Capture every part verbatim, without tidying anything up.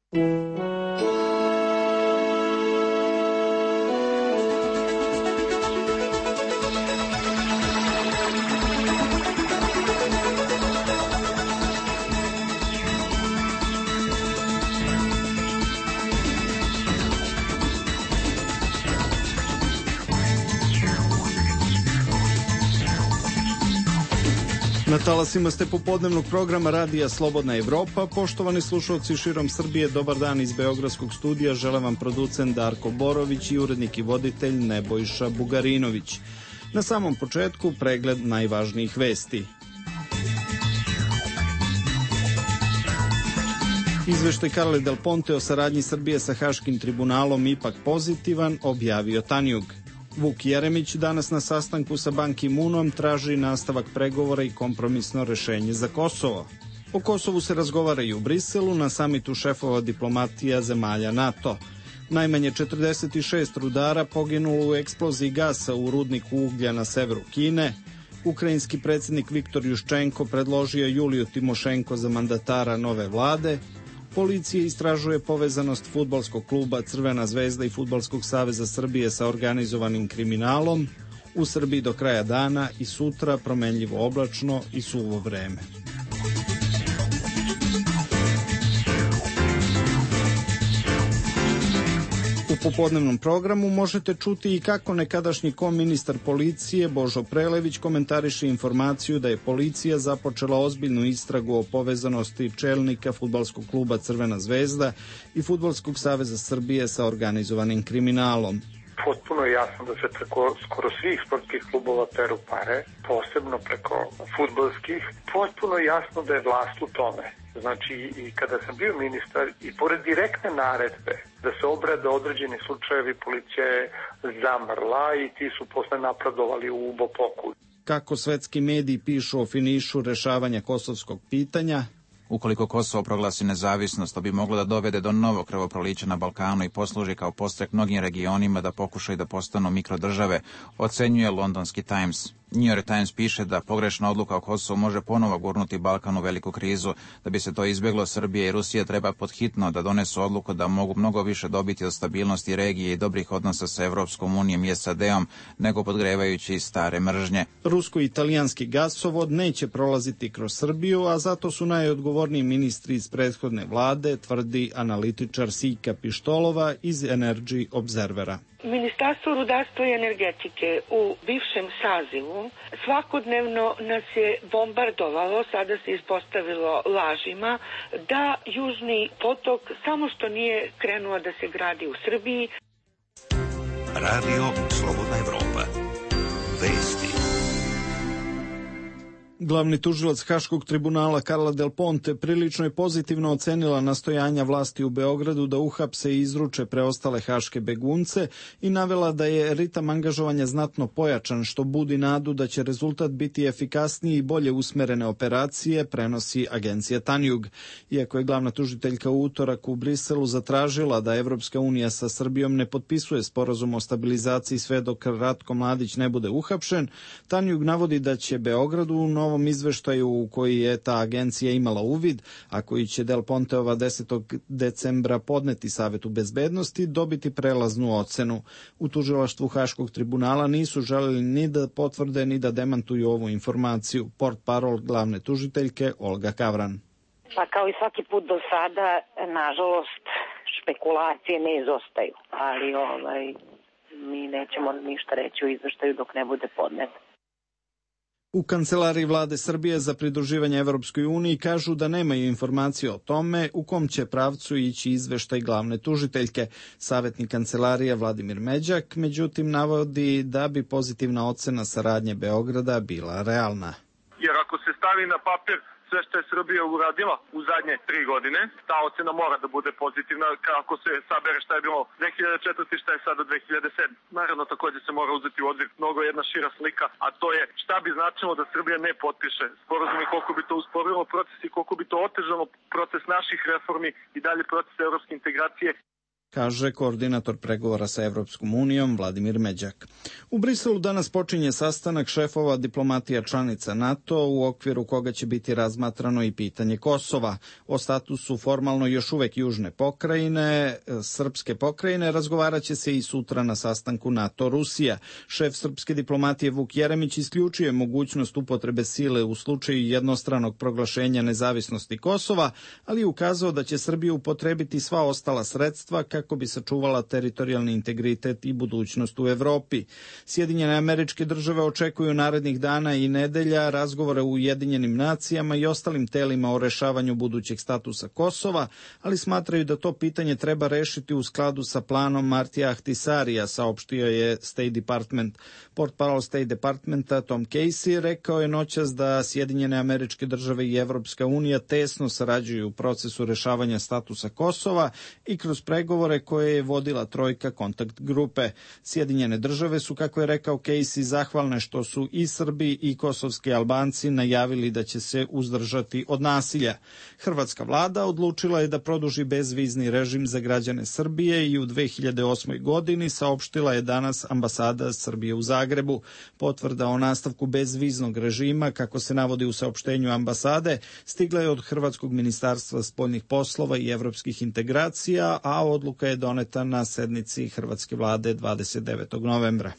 Na talasima ste popodnevnog programa Radija Slobodna Evropa. Poštovani slušalci širom Srbije, dobar dan iz Beogradskog studija. Žele vam producent Darko Borović i urednik i voditelj Nebojša Bugarinović. Na samom početku pregled najvažnijih vesti. Izveštaj Carle Del Ponte o saradnji Srbije sa Haškim tribunalom ipak pozitivan, objavio Tanjug. Vuk Jeremić danas na sastanku sa Ban Ki-moonom traži nastavak pregovora i kompromisno rešenje za Kosovo. O Kosovu se razgovara i u Briselu na samitu šefova diplomatija zemalja NATO. Najmanje četrdeset šest rudara poginulo u eksploziji gasa u rudniku uglja na severu Kine. Ukrajinski predsjednik Viktor Juščenko predložio Juliju Timošenko za mandatara nove vlade. Policija istražuje povezanost fudbalskog kluba Crvena zvezda i Fudbalskog saveza Srbije sa organizovanim kriminalom. U Srbiji do kraja dana i sutra promenljivo oblačno i suvo vreme. U popodnevnom programu možete čuti i kako nekadašnji koministar policije Božo Prelević komentariše informaciju da je policija započela ozbiljnu istragu o povezanosti čelnika fudbalskog kluba Crvena zvezda i Fudbalskog saveza Srbije sa organizovanim kriminalom. Potpuno je jasno da se preko skoro svih sportskih klubova peru pare, posebno preko fudbalskih. Potpuno je jasno da je vlast u tome. Znači, i kada sam bio ministar, i pored direktne naredbe da se obrade određeni slučajevi, policija je zamrla i ti su posle napredovali u ubopoku. Kako svetski mediji pišu o finišu rešavanja kosovskog pitanja? Ukoliko Kosovo proglasi nezavisnost, to bi moglo da dovede do novog krvoprolića na Balkanu i posluži kao podstrek mnogim regionima da pokušaju da postanu mikrodržave, ocenjuje londonski Times. New York Times piše da pogrešna odluka o Kosovu može ponovo gurnuti Balkan u veliku krizu. Da bi se to izbjeglo, Srbija i Rusija treba podhitno da donesu odluku da mogu mnogo više dobiti od stabilnosti regije i dobrih odnosa sa Evropskom unijom i S A D-om, nego podgrevajući stare mržnje. Rusko-italijanski gasovod neće prolaziti kroz Srbiju, a zato su najodgovorniji ministri iz prethodne vlade, tvrdi analitičar Sika Pištolova iz Energy Observera. Ministarstvo rudarstva i energetike u bivšem sazivu svakodnevno nas je bombardovalo, sada se ispostavilo lažima, da Južni potok samo što nije krenuo da se gradi u Srbiji. Radio Slobodna Evropa. Vesti. Glavni tužilac Haškog tribunala Carla Del Ponte prilično je pozitivno ocenila nastojanja vlasti u Beogradu da uhapse i izruče preostale haške begunce i navela da je ritam angažovanja znatno pojačan, što budi nadu da će rezultat biti efikasniji i bolje usmerene operacije, prenosi agencija Tanjug. Iako je glavna tužiteljka u utorak u Briselu zatražila da Evropska unija sa Srbijom ne potpisuje sporazum o stabilizaciji sve dok Ratko Mladić ne bude uhapšen, Tanjug navodi da će Beogradu u novom izveštaju u koji je ta agencija imala uvid, a koji će Del Ponteova desetog decembra podneti Savetu bezbednosti, dobiti prelaznu ocenu. U tužilaštvu Haškog tribunala nisu želeli ni da potvrde ni da demantuju ovu informaciju. Portparol glavne tužiteljke Olga Kavran. Pa kao i svaki put do sada, nažalost, špekulacije ne izostaju, ali ovaj, mi nećemo ništa reći o izveštaju dok ne bude podnet. U kancelariji vlade Srbije za pridruživanje Evropskoj uniji kažu da nemaju informacije o tome u kom će pravcu ići izveštaj glavne tužiteljke. Savjetnik kancelarije Vladimir Međak, međutim, navodi da bi pozitivna ocena saradnje Beograda bila realna. Jer ako se stavi na papir sve što je Srbija uradila u zadnje tri godine, ta ocena mora da bude pozitivna kako se sabere šta je bilo dve hiljade četvrte i šta je sada dve hiljade sedme. Naravno, također se mora uzeti u obzir mnogo jedna šira slika, a to je šta bi značilo da Srbija ne potpiše sporazum i koliko bi to usporilo proces i koliko bi to otežalo proces naših reformi i dalje proces evropske integracije. kaže koordinator pregovora sa Evropskom unijom Vladimir Međak. U Briselu danas počinje sastanak šefova diplomatija članica NATO u okviru koga će biti razmatrano i pitanje Kosova. O statusu formalno još uvek južne pokrajine, srpske pokrajine, razgovarat će se i sutra na sastanku NATO-Rusija. Šef srpske diplomatije Vuk Jeremić isključuje mogućnost upotrebe sile u slučaju jednostranog proglašenja nezavisnosti Kosova, ali je ukazao da će Srbija upotrebiti sva ostala sredstva kako bi sačuvala teritorijalni integritet i budućnost u Evropi. Sjedinjene Američke Države očekuju narednih dana i nedelja razgovore u Ujedinjenim nacijama i ostalim telima o rešavanju budućeg statusa Kosova, ali smatraju da to pitanje treba rešiti u skladu sa planom Martija Ahtisarija, saopštio je State Department. Portparol State Departmenta Tom Casey rekao je noćas da Sjedinjene Američke Države i Evropska unija tesno sarađuju u procesu rešavanja statusa Kosova i kroz pregovore koje je vodila trojka kontakt grupe. Sjedinjene Države su, kako je rekao Casey, zahvalne što su i Srbi i kosovski Albanci najavili da će se uzdržati od nasilja. Hrvatska vlada odlučila je da produži bezvizni režim za građane Srbije i u dve hiljade osmoj godini, saopštila je danas ambasada Srbije u Zagrebu. Potvrda o nastavku bezviznog režima, kako se navodi u saopštenju ambasade, stigla je od Hrvatskog ministarstva spoljnih poslova i evropskih integracija, a odluka je doneta na sednici hrvatske vlade dvadeset devetog novembra.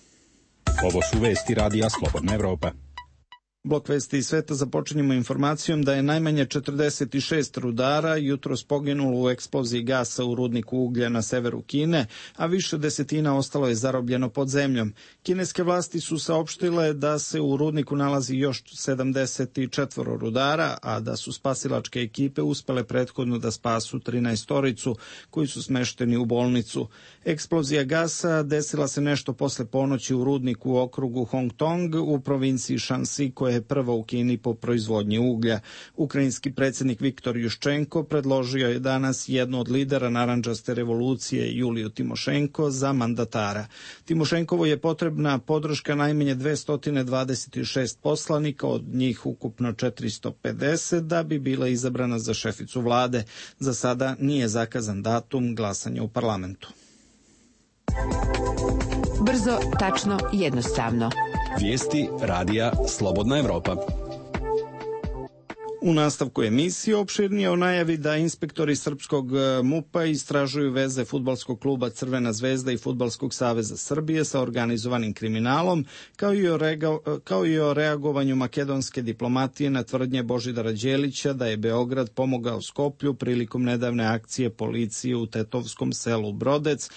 Ovo su vesti Radija Slobodna Evropa. Blok vesti iz sveta započinjemo informacijom da je najmanje četrdeset šest rudara jutros poginulo u eksploziji gasa u rudniku uglja na severu Kine, a više desetina ostalo je zarobljeno pod zemljom. Kineske vlasti su saopštile da se u rudniku nalazi još sedamdeset četiri rudara, a da su spasilačke ekipe uspele prethodno da spasu trinaestoricu koji su smešteni u bolnicu. Eksplozija gasa desila se nešto posle ponoći u rudniku u okrugu Hong Tong u provinciji Shanxi, koja je prva u Kini po proizvodnji uglja. Ukrajinski predsjednik Viktor Juščenko predložio je danas jednu od lidera narandžaste revolucije, Juliju Timošenko, za mandatara. Timošenkovo je potrebna podrška najmanje dvesta dvadeset šest poslanika, od njih ukupno četiristo pedeset, da bi bila izabrana za šeficu vlade. Za sada nije zakazan datum glasanja u parlamentu. Brzo, tačno, jednostavno. Vijesti Radija Slobodna Evropa. U nastavku emisije opširnije o najavi da inspektori srpskog MUP-a istražuju veze fudbalskog kluba Crvena zvezda i Fudbalskog saveza Srbije sa organizovanim kriminalom, kao i o, rega, kao i o reagovanju makedonske diplomatije na tvrdnje Božidara Đelića da je Beograd pomogao Skoplju prilikom nedavne akcije policije u tetovskom selu Brodec,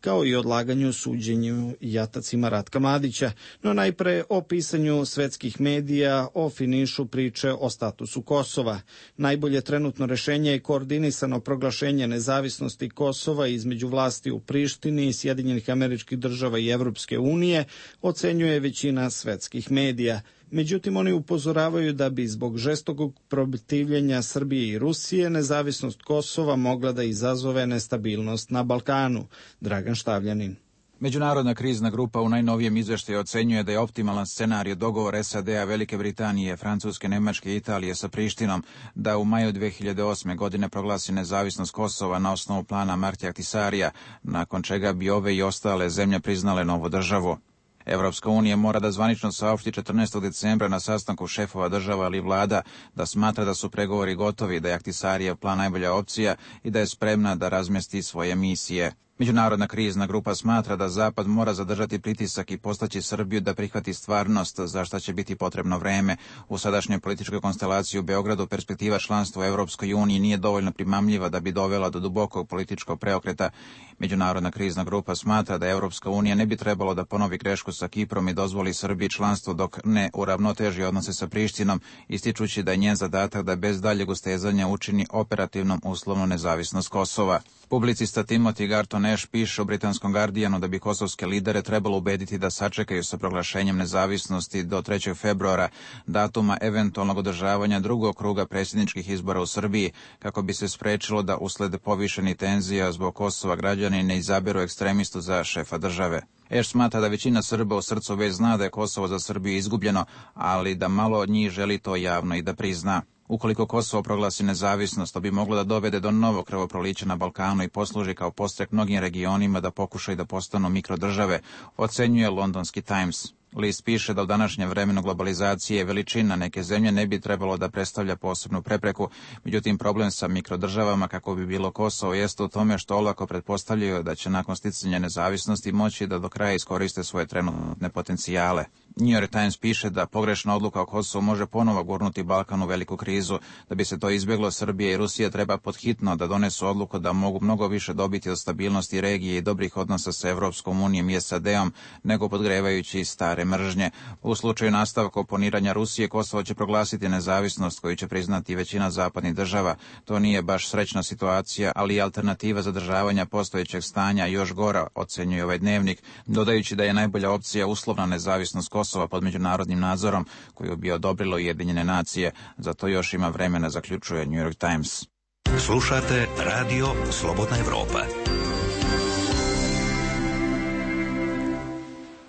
kao i odlaganju suđenju jatacima Ratka Mladića. No najpre o pisanju svetskih medija o finišu priče o statusu Kosova. Najbolje trenutno rešenje je koordinisano proglašenje nezavisnosti Kosova između vlasti u Prištini, Sjedinjenih Američkih Država i Evropske unije, ocenjuje većina svetskih medija. Međutim, oni upozoravaju da bi zbog žestokog protivljenja Srbije i Rusije nezavisnost Kosova mogla da izazove nestabilnost na Balkanu. Dragan Štavljanin. Međunarodna krizna grupa u najnovijem izveštaju ocenjuje da je optimalan scenarij dogovor S A D-a, Velike Britanije, Francuske, Nemačke i Italije sa Prištinom da u maju dve hiljade osme. godine proglasi nezavisnost Kosova na osnovu plana Martija Ahtisarija, nakon čega bi ove i ostale zemlje priznale novu državu. Evropska unija mora da zvanično saopšti četrnaestog decembra na sastanku šefova država ili vlada da smatra da su pregovori gotovi, da je Ahtisarijev plan najbolja opcija i da je spremna da razmesti svoje misije. Međunarodna krizna grupa smatra da Zapad mora zadržati pritisak i postaći Srbiju da prihvati stvarnost, za šta će biti potrebno vreme. U sadašnjoj političkoj konstelaciji u Beogradu perspektiva članstva u Evropskoj uniji nije dovoljno primamljiva da bi dovela do dubokog političkog preokreta. Međunarodna krizna grupa smatra da Evropska unija ne bi trebalo da ponovi grešku sa Kiprom i dozvoli Srbiji članstvo dok ne uravnoteži odnose sa Prištinom, ističući da je njen zadatak da bez daljeg ustezanja učini operativnom uslovnu nezavisnost Kosova. Publicista Timothy Garton Ash piše u britanskom Guardianu da bi kosovske lidere trebalo ubediti da sačekaju sa proglašenjem nezavisnosti do trećeg februara, datuma eventualnog održavanja drugog kruga predsjedničkih izbora u Srbiji, kako bi se sprečilo da usled povišenih tenzija zbog Kosova građani ne izaberu ekstremistu za šefa države. Ash smatra da većina Srba u srcu već zna da je Kosovo za Srbiju izgubljeno, ali da malo od njih želi to javno i da prizna. Ukoliko Kosovo proglasi nezavisnost, to bi moglo da dovede do novog krvoprolića na Balkanu i posluži kao podstrek mnogim regionima da pokušaju da postanu mikrodržave, ocenjuje londonski Times. List piše da u današnjem vremenu globalizacije veličina neke zemlje ne bi trebalo da predstavlja posebnu prepreku, međutim problem sa mikrodržavama kako bi bilo Kosovo jeste u tome što olako pretpostavljaju da će nakon sticanja nezavisnosti moći da do kraja iskoriste svoje trenutne potencijale. New York Times piše da pogrešna odluka o Kosovu može ponovo gurnuti Balkan u veliku krizu. Da bi se to izbjeglo, Srbija i Rusija treba podhitno da donesu odluku da mogu mnogo više dobiti od stabilnosti regije i dobrih odnosa sa Evropskom unijom i S A D-om, nego podgrevajući stare mržnje. U slučaju nastavka oponiranja Rusije, Kosovo će proglasiti nezavisnost koju će priznati većina zapadnih država. To nije baš srećna situacija, ali i alternativa zadržavanja postojećeg stanja još gora, ocenjuje ovaj dnevnik, dodajući da je najbolja opcija uslovna nezavisnost Kosova pod međunarodnim nadzorom koju bi odobrilo Ujedinjene nacije. Zato još ima vremena, zaključuje New York Times. Slušate Radio Slobodna Evropa.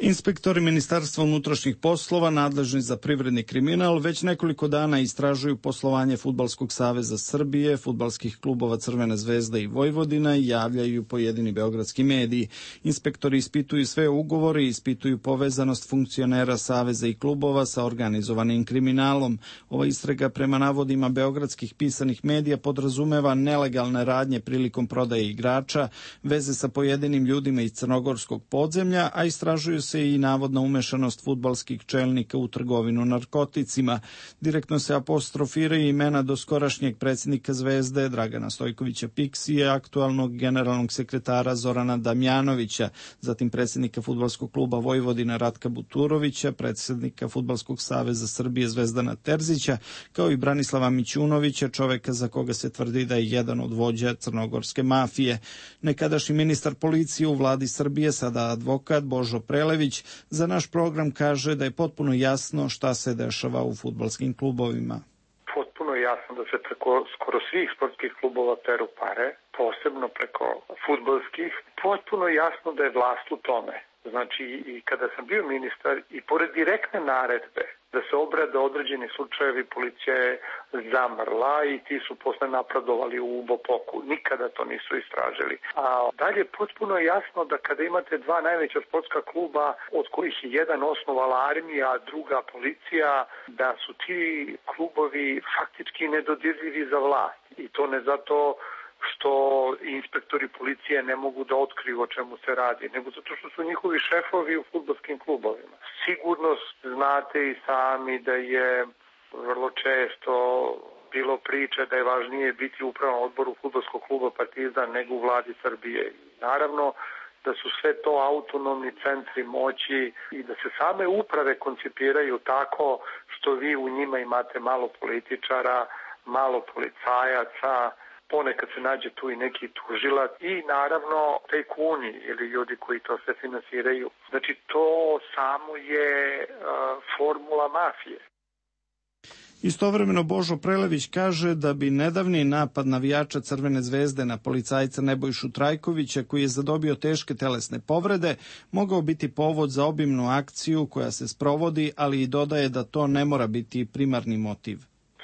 Inspektori Ministarstva unutrašnjih poslova nadležni za privredni kriminal već nekoliko dana istražuju poslovanje Fudbalskog saveza Srbije, fudbalskih klubova Crvena zvezda i Vojvodina i javljaju pojedini beogradski mediji. Inspektori ispituju sve ugovore i ispituju povezanost funkcionera saveza i klubova sa organizovanim kriminalom. Ova istraga prema navodima beogradskih pisanih medija podrazumeva nelegalne radnje prilikom prodaje igrača, veze sa pojedinim ljudima iz crnogorskog podzemlja, a istražuju se i navodna umešanost fudbalskih čelnika u trgovinu narkoticima. Direktno se apostrofiraju imena doskorašnjeg predsjednika Zvezde Dragana Stojkovića Piksije, aktualnog generalnog sekretara Zorana Damjanovića, zatim predsjednika fudbalskog kluba Vojvodina Ratka Buturovića, predsjednika Fudbalskog saveza Srbije Zvezdana Terzića, kao i Branislava Mićunovića, čoveka za koga se tvrdi da je jedan od vođa crnogorske mafije. Nekadašnji ministar policije u vladi Srbije, sada advokat Božo Prelević, za naš program kaže da je potpuno jasno šta se dešava u fudbalskim klubovima. Potpuno jasno da se preko skoro svih sportskih klubova peru pare, posebno preko fudbalskih. Potpuno jasno da je vlast u tome. Znači, i kada sam bio ministar, i pored direktne naredbe da se obrade određeni slučajevi, policija je zamrla i ti su posle napredovali u Bopoku. Nikada to nisu istražili. A dalje potpuno je jasno da kada imate dva najveća sportska kluba, od kojih je jedan osnovala armija, a druga policija, da su ti klubovi faktički nedodirljivi za vlast. I to ne zato što inspektori policije ne mogu da otkriju o čemu se radi, nego zato što su njihovi šefovi u fudbalskim klubovima. Sigurno znate i sami da je vrlo često bilo priče da je važnije biti u upravnom odboru fudbalskog kluba Partizan nego u vladi Srbije. Naravno da su sve to autonomni centri moći i da se same uprave koncipiraju tako što vi u njima imate malo političara, malo policajaca, ponekad se nađe tu i neki tužilac i naravno tajkuni ili ljudi koji to sve finansiraju. Znači to samo je uh, formula mafije. Istovremeno Božo Prelević kaže da bi nedavni napad navijača Crvene zvezde na policajca Nebojšu Trajkovića, koji je zadobio teške telesne povrede, mogao biti povod za obimnu akciju koja se sprovodi, ali i dodaje da to ne mora biti primarni motiv.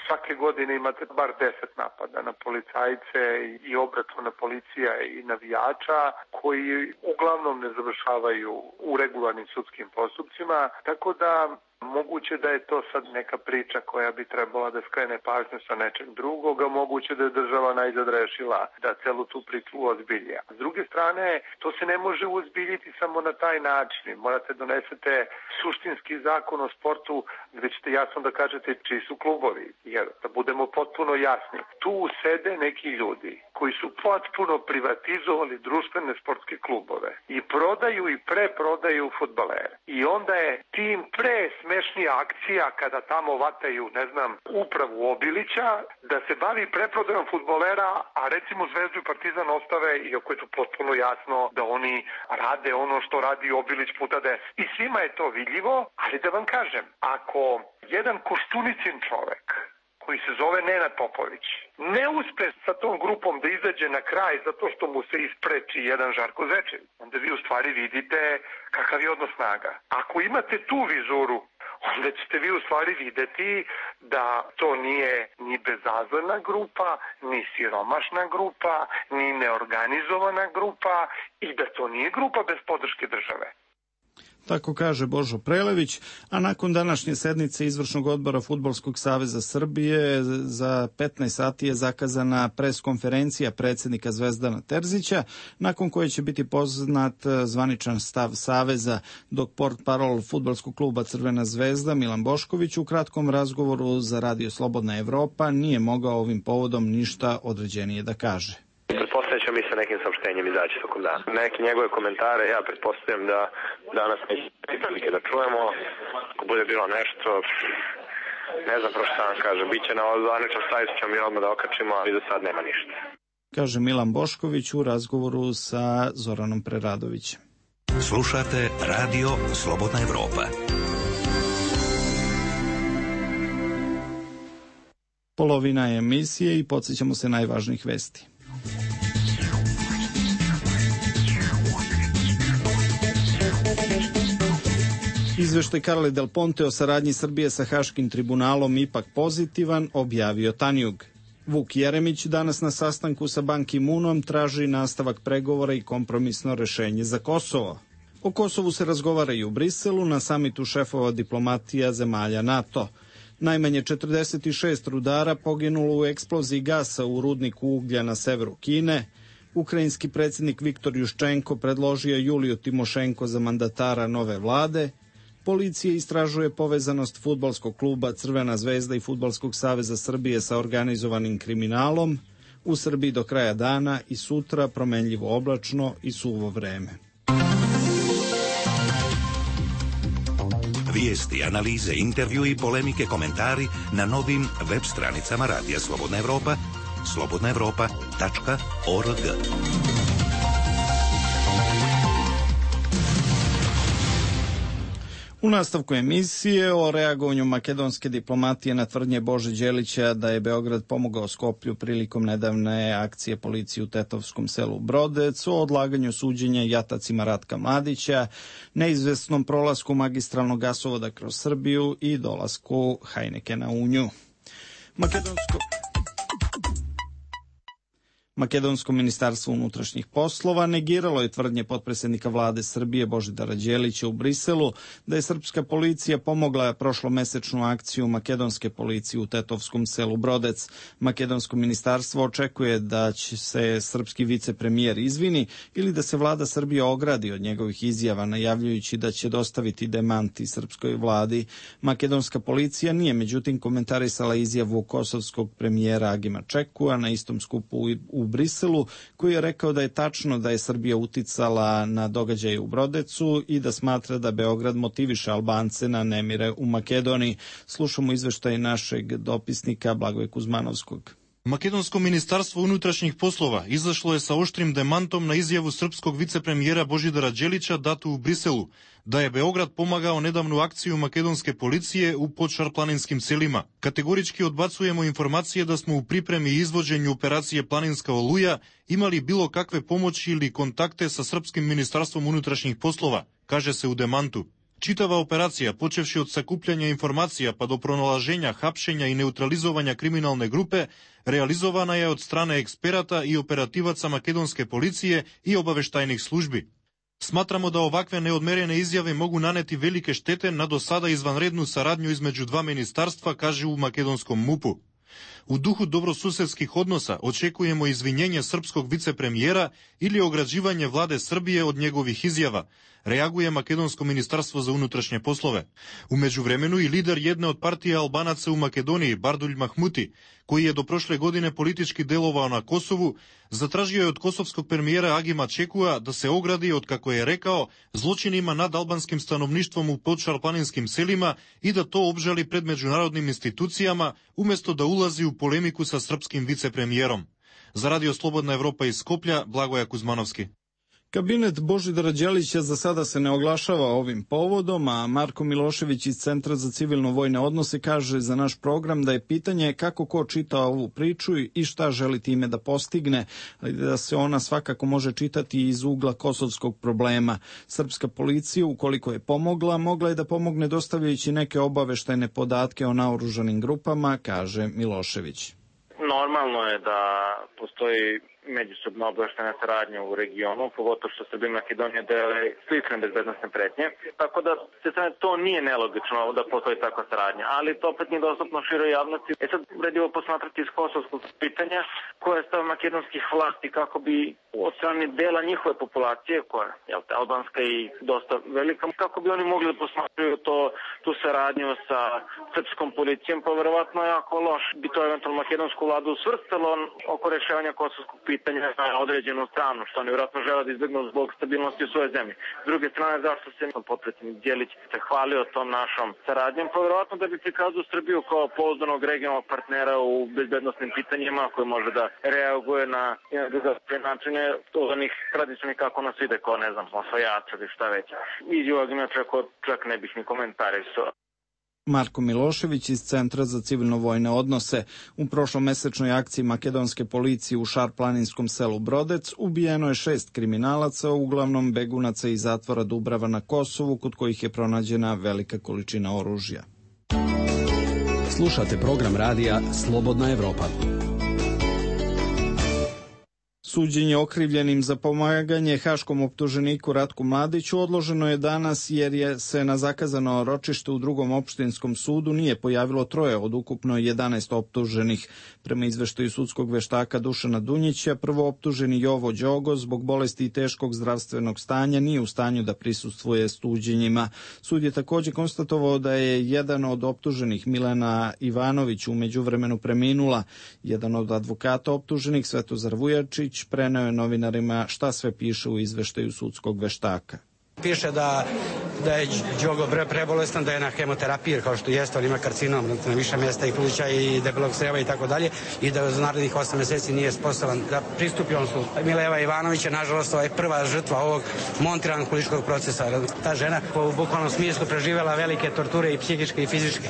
Svake godine imate bar deset napada na policajce i obračuna policija i navijača koji uglavnom ne završavaju u regularnim sudskim postupcima, tako da moguće da je to sad neka priča koja bi trebala da skrene pažnju sa nečeg drugog, a moguće da je država najzad rešila da celu tu priču ozbilja. S druge strane, to se ne može uzbiljiti samo na taj način. Morate donesete suštinski zakon o sportu gde ćete jasno da kažete čiji su klubovi. Jer da budemo potpuno jasni, tu sede neki ljudi koji su potpuno privatizovali društvene sportske klubove i prodaju i preprodaju fudbalere. I onda je tim pre smešnija akcija kada tamo vataju, ne znam, upravu Obilića, da se bavi preprodajom fudbalera, a recimo Zvezdu i Partizan ostave, iako je to potpuno jasno da oni rade ono što radi Obilić puta deset. I svima je to vidljivo, ali da vam kažem, ako jedan Koštunicin čovek koji se zove Nenad Popović ne uspe sa tom grupom da izađe na kraj zato što mu se ispreči jedan Žarko Zečević, onda vi u stvari vidite kakav je odnos snaga. Ako imate tu vizuru, onda ćete vi u stvari videti da to nije ni bezazlena grupa, ni siromašna grupa, ni neorganizovana grupa i da to nije grupa bez podrške države. Tako kaže Božo Prelević, a nakon današnje sednice Izvršnog odbora Fudbalskog saveza Srbije za petnaest sati je zakazana preskonferencija predsjednika Zvezdana Terzića, nakon koje će biti poznat zvaničan stav Saveza, dok portparol Fudbalskog kluba Crvena zvezda Milan Bošković u kratkom razgovoru za Radio Slobodna Evropa nije mogao ovim povodom ništa određenije da kaže. Pretpostavljam ćemo mi sa nekim saopštenjem izaći tokom dana. Neke njegove komentare, ja pretpostavljam da danas neće prilike da čujemo. Ako bude bilo nešto, ne znam prošto sam kažem, bit će na zvaničnom sajtu, ćemo mi odmah da okačimo, ali do sad nema ništa. Kaže Milan Bošković u razgovoru sa Zoranom Preradovićem. Slušate Radio Slobodna Evropa. Polovina je emisije i podsjećamo se najvažnijih vesti. Izveštaj Carle Del Ponte o saradnji Srbije sa Haškim tribunalom ipak pozitivan, objavio Tanjug. Vuk Jeremić danas na sastanku sa Ban Ki-moonom traži nastavak pregovora i kompromisno rešenje za Kosovo. O Kosovu se razgovara i u Briselu na samitu šefova diplomatija zemalja NATO. Najmanje četrdeset šest rudara poginulo u eksploziji gasa u rudniku uglja na severu Kine. Ukrajinski predsjednik Viktor Juščenko predložio Juliju Timošenko za mandatara nove vlade. Policija istražuje povezanost fudbalskog kluba Crvena zvezda i Fudbalskog saveza Srbije sa organizovanim kriminalom. U Srbiji do kraja dana i sutra promenljivo oblačno i suvo vreme. Vijesti, analize, intervju i polemike, komentari na novim web stranicama Radija Slobodna Evropa, slobodna evropa tačka org. U nastavku emisije o reagovanju makedonske diplomatije na tvrdnje Bože Đelića da je Beograd pomogao Skoplju prilikom nedavne akcije policije u Tetovskom selu Brodec, o odlaganju suđenja jatacima Ratka Mladića, neizvesnom prolasku magistralnog gasovoda kroz Srbiju i dolasku Heinekena u nju. Makedonsko... Makedonsko ministarstvo unutrašnjih poslova negiralo je tvrdnje potpredsjednika vlade Srbije Božidara Đelića u Briselu da je srpska policija pomogla prošlomesečnu akciju makedonske policije u Tetovskom selu Brodec. Makedonsko ministarstvo očekuje da će se srpski vicepremijer izvini ili da se vlada Srbije ogradi od njegovih izjava, najavljujući da će dostaviti demanti srpskoj vladi. Makedonska policija nije međutim komentarisala izjavu kosovskog premijera Agima Čekua na istom skupu u u Briselu, koji je rekao da je tačno da je Srbija uticala na događaje u Brodecu i da smatra da Beograd motiviše Albance na nemire u Makedoniji. Slušamo izveštaj našeg dopisnika Blagoja Kuzmanovskog. Makedonsko ministarstvo unutrašnjih poslova izašlo je sa oštrim demantom na izjavu srpskog vicepremijera Božidara Đelića datu u Briselu, da je Beograd pomagao nedavnu akciju makedonske policije u podšarplaninskim selima. Kategorički odbacujemo informacije da smo u pripremi i izvođenju operacije Planinska oluja imali bilo kakve pomoći ili kontakte sa srpskim ministarstvom unutrašnjih poslova, kaže se u demantu. Čitava operacija, počevši od sakupljanja informacija pa do pronalaženja, hapšenja i neutralizovanja kriminalne grupe, realizovana je od strane eksperata i operativaca makedonske policije i obaveštajnih službi. Smatramo da ovakve neodmerene izjave mogu naneti velike štete na do sada izvanrednu saradnju između dva ministarstva, kaže u makedonskom MUP-u. U duhu dobrosusedskih odnosa očekujemo izvinjenje srpskog vicepremijera ili ograđivanje vlade Srbije od njegovih izjava, reaguje Makedonsko ministarstvo za unutrašnje poslove. U međuvremenu i lider jedne od partija Albanaca u Makedoniji, Bardulj Mahmuti, koji je do prošle godine politički delovao na Kosovu, zatražio je od kosovskog premijera Agima Čekua da se ogradi od, kako je rekao, zločinima nad albanskim stanovništvom u podšarplaninskim selima i da to obžali pred međunarodnim institucijama, umjesto da ulazi u polemiku sa srpskim vicepremijerom. Za Radio Slobodna Evropa iz Skoplja, Blagoja Kuzmanovski. Kabinet Božidara Đelića za sada se ne oglašava ovim povodom, a Marko Milošević iz Centra za civilno-vojne odnose kaže za naš program da je pitanje kako ko čita ovu priču i šta želi time da postigne, ali da se ona svakako može čitati iz ugla kosovskog problema. Srpska policija, ukoliko je pomogla, mogla je da pomogne dostavljajući neke obaveštajne podatke o naoružanim grupama, kaže Milošević. Normalno je da postoji međusobna obaveštajna saradnja u regionu, pogotovo što Srbija i Makedonija dele slične bezbednosne pretnje. Tako da se strane to nije nelogično da postoji takva saradnja, ali to opet nije dostupno široj javnosti. E sad vredivo posmatrati iz kosovskog pitanja koja je stav makedonskih vlasti kako bi od strane dela njihove populacije, koja je albanska i dosta velika, kako bi oni mogli da posmatraju to, tu saradnju sa srpskom policijom, pa verovatno jako loš bi to eventualno makedonsku vladu svrstalo oko rešavanja kosovskog pitanja na određenu stranu, što oni vjerojatno žele da izbjegnu zbog stabilnosti u svojoj zemlji. S druge strane, zašto se potpredsjednik Đelić se hvalio tom našom saradnjom, pa vjerojatno da bi prikazao Srbiju kao pouzdanog regionalnog partnera u bezbednosnim pitanjima koji može da reaguje na drugačije načine od onih tradicionalnih kako nas ide, kao ne znam, osvajača ili šta već. Iz ovog inače čak ne bih ni komentarisao. Marko Milošević iz Centra za civilno-vojne odnose. U prošlomesečnoj akciji makedonske policije u šarplaninskom selu Brodec ubijeno je šest kriminalaca, uglavnom begunaca iz zatvora Dubrava na Kosovu, kod kojih je pronađena velika količina oružja. Slušate program radija Slobodna Evropa. Suđenje okrivljenim za pomaganje haškom optuženiku Ratku Mladiću odloženo je danas jer je se na zakazano ročište u drugom opštinskom sudu nije pojavilo troje od ukupno jedanaest optuženih. Prema izveštaju sudskog veštaka Dušana Dunjića, prvo optuženi Jovo Đogo zbog bolesti i teškog zdravstvenog stanja nije u stanju da prisustvuje suđenjima. Sud je također konstatovao da je jedan od optuženih, Milena Ivanović, u međuvremenu preminula. Jedan od advokata optuženih, Svetozar Vujačić, preneo je novinarima šta sve piše u izveštaju sudskog veštaka. Piše da, da je Đogo prebolestan, da je na hemoterapiji, kao što jeste, on ima karcinom na više mjesta i pluća i debelog creva i tako dalje, i da za narednih osam mjeseci nije sposoban da pristupi on su. Mileva Ivanović je, nažalost, ovaj prva žrtva ovog montiranog političkog procesa. Ta žena u bukvalnom smislu preživjela velike torture i psihičke i fizičke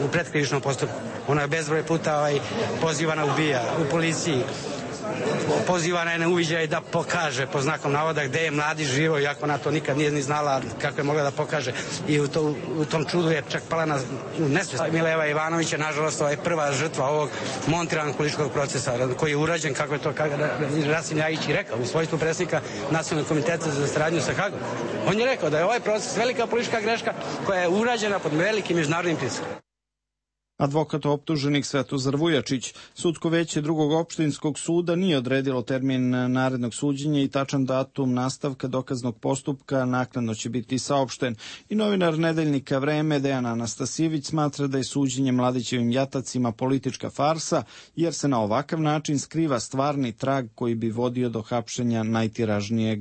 u predkrivičnom postupku. Ona je bezbroj puta ovaj, pozivana ubija u policiji. Pozivana je na uviđaj da pokaže po znakom navoda gde je Mladić živo, iako ona to nikad nije ni znala kako je mogla da pokaže, i u, to, u tom čudu je čak pala na nesvest. Mileva Ivanović je, nažalost, ovaj prva žrtva ovog montiranog političkog procesa koji je urađen, kako je to Rasim Ljajić i rekao, u svojstvu predsjednika Nacionalnog komiteta za saradnju sa Hagom. On je rekao da je ovaj proces velika politička greška koja je urađena pod velikim međunarodnim pritiskom. Advokat optuženih Svetozar Vujačić. Sudsko veće drugog opštinskog suda nije odredilo termin narednog suđenja i tačan datum nastavka dokaznog postupka naknadno će biti saopšten. I novinar nedeljnika Vreme Dejan Anastasijević smatra da je suđenje Mladićevim jatacima politička farsa, jer se na ovakav način skriva stvarni trag koji bi vodio do hapšenja najtiražnijeg,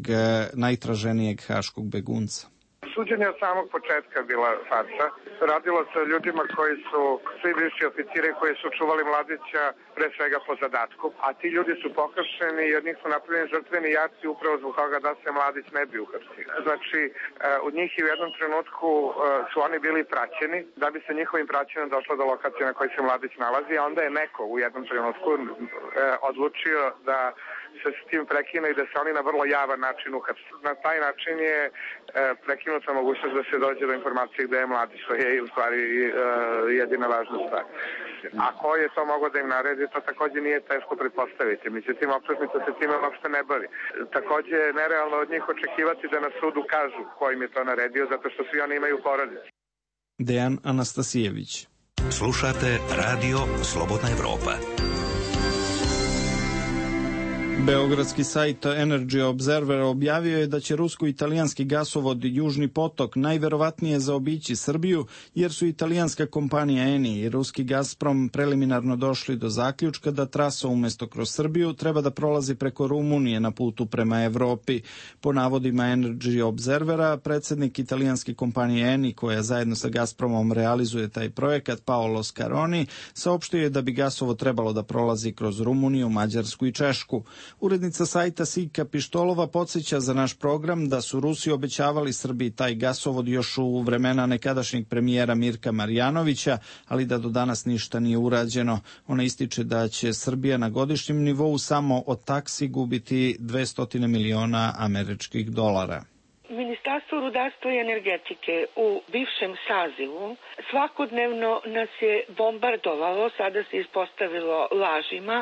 najtraženijeg haškog begunca. Suđenje od samog početka bila farsa. Radilo se o ljudima koji su svi bivši oficiri koji su čuvali Mladića pre svega po zadatku, a ti ljudi su pohapšeni i od njih su napravljeni žrtveni jaci upravo zbog toga da se Mladić ne bi uhapsio. Znači, od njih i u jednom trenutku su oni bili praćeni, da bi se njihovim praćenjem došlo do lokacije na kojoj se Mladić nalazi, a onda je neko u jednom trenutku odlučio da se s tim prekine i da se oni na vrlo javan način uhapse. Na taj način je prekinuta mogućnost da se dođe do informacije gde je Mladić, što je u stvari jedina važna stvar. A ko je to mogao da im naredi, to takođe nije teško pretpostaviti. Međutim, optužnica se time uopšte ne bavi. Takođe je nerealno od njih očekivati da na sudu kažu ko im je to naredio, zato što svi oni imaju porodice. Dejan Anastasijević. Slušate Radio Slobodna Evropa. Beogradski sajt Energy Observer objavio je da će rusko-italijanski gasovod Južni potok najverovatnije zaobići Srbiju, jer su italijanska kompanija Eni i ruski Gazprom preliminarno došli do zaključka da trasa umjesto kroz Srbiju treba da prolazi preko Rumunije na putu prema Evropi. Po navodima Energy Observera, predsjednik italijanske kompanije Eni, koja zajedno sa Gazpromom realizuje taj projekat, Paolo Scaroni, saopštio je da bi gasovod trebalo da prolazi kroz Rumuniju, Mađarsku i Češku. Urednica sajta Sika Pištolova podsjeća za naš program da su Rusi obećavali Srbiji taj gasovod još u vremena nekadašnjeg premijera Mirka Marjanovića, ali da do danas ništa nije urađeno. Ona ističe da će Srbija na godišnjem nivou samo od taksi gubiti dvesta miliona američkih dolara. Ministarstvo rudarstva i energetike u bivšem sazivu svakodnevno nas je bombardovalo, sada se ispostavilo lažima,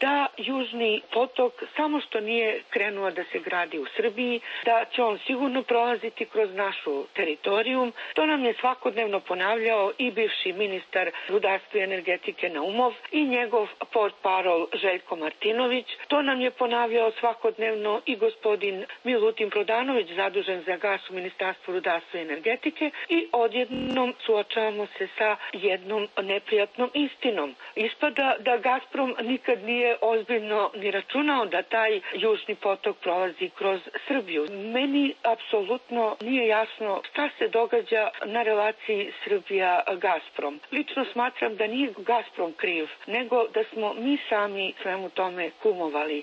da Južni potok samo što nije krenuo da se gradi u Srbiji, da će on sigurno prolaziti kroz našu teritoriju. To nam je svakodnevno ponavljao i bivši ministar rudarstva i energetike Naumov i njegov portparol Željko Martinović. To nam je ponavljao svakodnevno i gospodin Milutin Prodanović, zadužen za gas u Ministarstvu rudarstva i energetike, i odjednom suočavamo se sa jednom neprijatnom istinom. Ispada da Gazprom nikad nije ozbiljno ni računao da taj Južni potok prolazi kroz Srbiju. Meni apsolutno nije jasno šta se događa na relaciji Srbija-Gazprom. Lično smatram da nije Gazprom kriv, nego da smo mi sami svemu tome kumovali.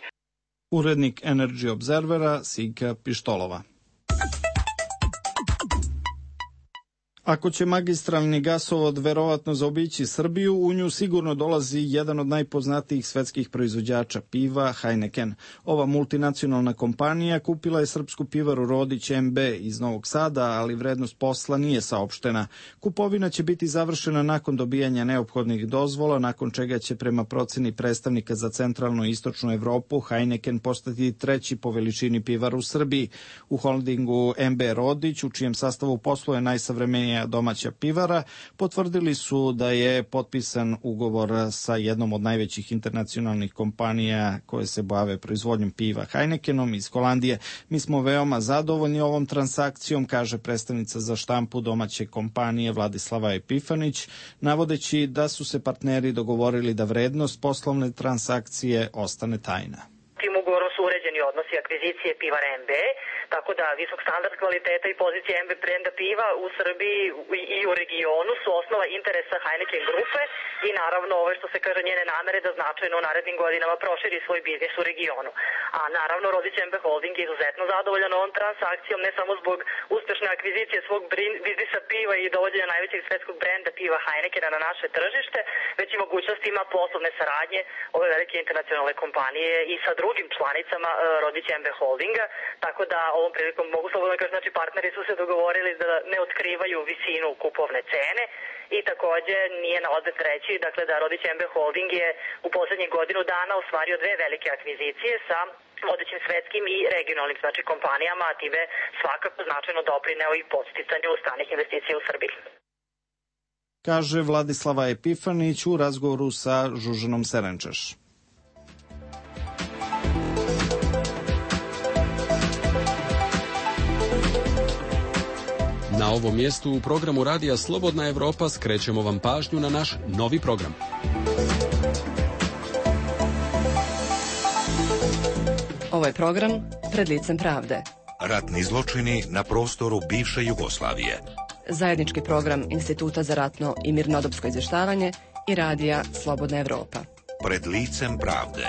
Urednik Energy Observera Sika Pištolova. Ako će magistralni gasovod verovatno zaobići Srbiju, u nju sigurno dolazi jedan od najpoznatijih svetskih proizvođača piva, Heineken. Ova multinacionalna kompanija kupila je srpsku pivaru Rodić em be iz Novog Sada, ali vrednost posla nije saopštena. Kupovina će biti završena nakon dobijanja neophodnih dozvola, nakon čega će prema proceni predstavnika za centralnu i istočnu Evropu Heineken postati treći po veličini pivar u Srbiji. U holdingu em be Rodić, u čijem sastavu posluje najsavremenija domaća pivara, potvrdili su da je potpisan ugovor sa jednom od najvećih internacionalnih kompanija koje se bave proizvodnjom piva, Heinekenom iz Holandije. Mi smo veoma zadovoljni ovom transakcijom, kaže predstavnica za štampu domaće kompanije Vladislava Epifanić, navodeći da su se partneri dogovorili da vrednost poslovne transakcije ostane tajna. Tim ugovorom su uređeni odnosi akvizicije pivara em be, tako da visok standard kvaliteta i pozicija em be brenda piva u Srbiji i u regionu su osnova interesa Heineken grupe i naravno ove što se kaže njene namere da značajno u narednim godinama proširi svoj biznis u regionu. A naravno Rodić em be Holding je izuzetno zadovoljan ovom transakcijom, ne samo zbog uspešne akvizicije svog biznisa piva i dovođenja najvećeg svetskog brenda piva Heinekena na naše tržište, već i mogućnost ima poslovne saradnje ove velike internacionalne kompanije i sa drugim članicama Rodić em be Holdinga, tako da ovom prilikom mogu slobodno da kažem, znači partneri su se dogovorili da ne otkrivaju visinu kupovne cene i takođe nije na odmet reći, dakle da Rodić em be Holding je u poslednjih godinu dana ostvario dve velike akvizicije sa vodećim svetskim i regionalnim znači kompanijama, a time svakako značajno doprineo i podsticanju stranih investicija u Srbiji. Kaže Vladislava Epifanić u razgovoru sa Žužanom Serenčaš. Na ovom mjestu u programu Radija Slobodna Evropa skrećemo vam pažnju na naš novi program. Ovo je program Pred licem pravde. Ratni zločini na prostoru bivše Jugoslavije. Zajednički program Instituta za ratno i mirnodopsko izvještavanje i Radija Slobodna Evropa. Pred licem pravde.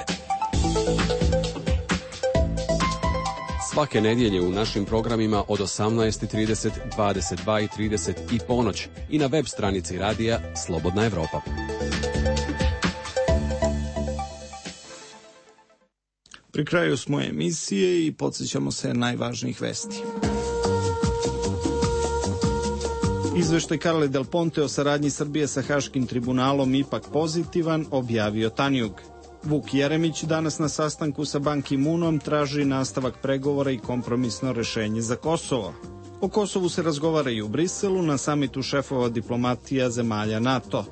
Svake nedjelje u našim programima od osamnaest i trideset, dvadeset dva i trideset i ponoć i na web stranici Radija Slobodna Evropa. Pri kraju smo emisije i podsjećamo se najvažnijih vesti. Izveštaj Carle Del Ponte o saradnji Srbije sa Haškim tribunalom ipak pozitivan, objavio Tanjug. Vuk Jeremić danas na sastanku sa Ban Ki-moonom traži nastavak pregovora i kompromisno rešenje za Kosovo. O Kosovu se razgovara i u Briselu na samitu šefova diplomatija zemalja NATO.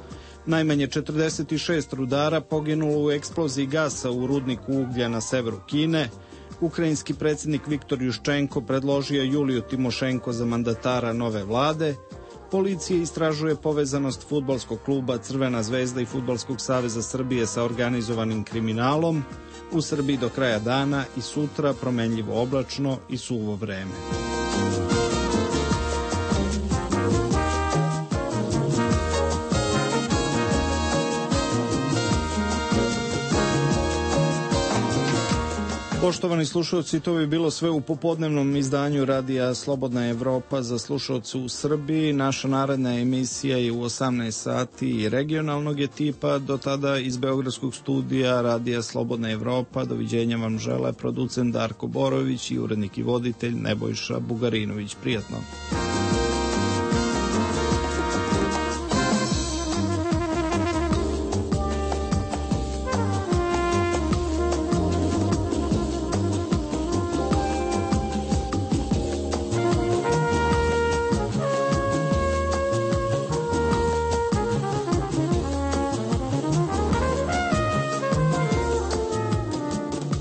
Najmanje četrdeset šest rudara poginulo u eksploziji gasa u rudniku uglja na severu Kine. Ukrajinski predsjednik Viktor Juščenko predložio Juliju Timošenko za mandatara nove vlade. Policija istražuje povezanost fudbalskog kluba Crvena zvezda i Fudbalskog saveza Srbije sa organizovanim kriminalom. U Srbiji do kraja dana i sutra promenljivo oblačno i suvo vreme. Poštovani slušalci, to bi bilo sve u popodnevnom izdanju radija Slobodna Evropa za slušalce u Srbiji. Naša naredna emisija je u osamnaest sati i regionalnog je tipa. Do tada iz Beogradskog studija radija Slobodna Evropa doviđenja vam žele producent Darko Borović i urednik i voditelj Nebojša Bugarinović. Prijatno.